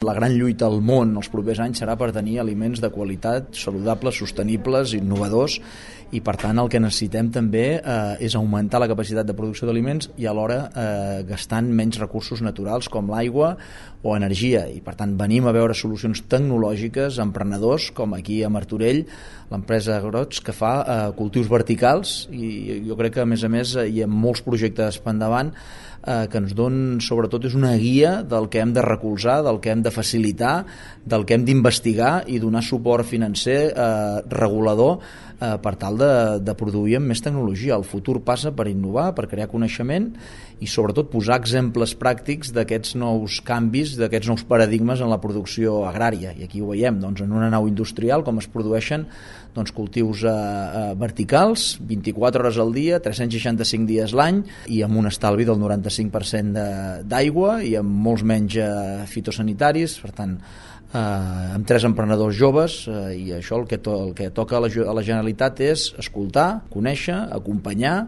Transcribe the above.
La gran lluita al món els propers anys serà per tenir aliments de qualitat, saludables, sostenibles, innovadors, i per tant el que necessitem també és augmentar la capacitat de producció d'aliments i alhora gastant menys recursos naturals com l'aigua o energia, i per tant venim a veure solucions tecnològiques, emprenedors com aquí a Martorell, l'empresa Grots, que fa cultius verticals, i jo crec que a més hi ha molts projectes per endavant que ens donen, sobretot és una guia del que hem de recolzar, del que hem de facilitar, del que hem d'investigar i donar suport financer regulador per tal de produir amb més tecnologia. El futur passa per innovar, per crear coneixement i sobretot posar exemples pràctics d'aquests nous canvis, d'aquests nous paradigmes en la producció agrària, i aquí ho veiem en una nau industrial com es produeixen cultius verticals 24 hores al dia, 365 dies l'any, i amb un estalvi del 95% d'aigua i amb molts menys fitosanitaris. Per tant, amb 3 emprenedors joves, i això el que toca a la Generalitat és escoltar, conèixer, acompanyar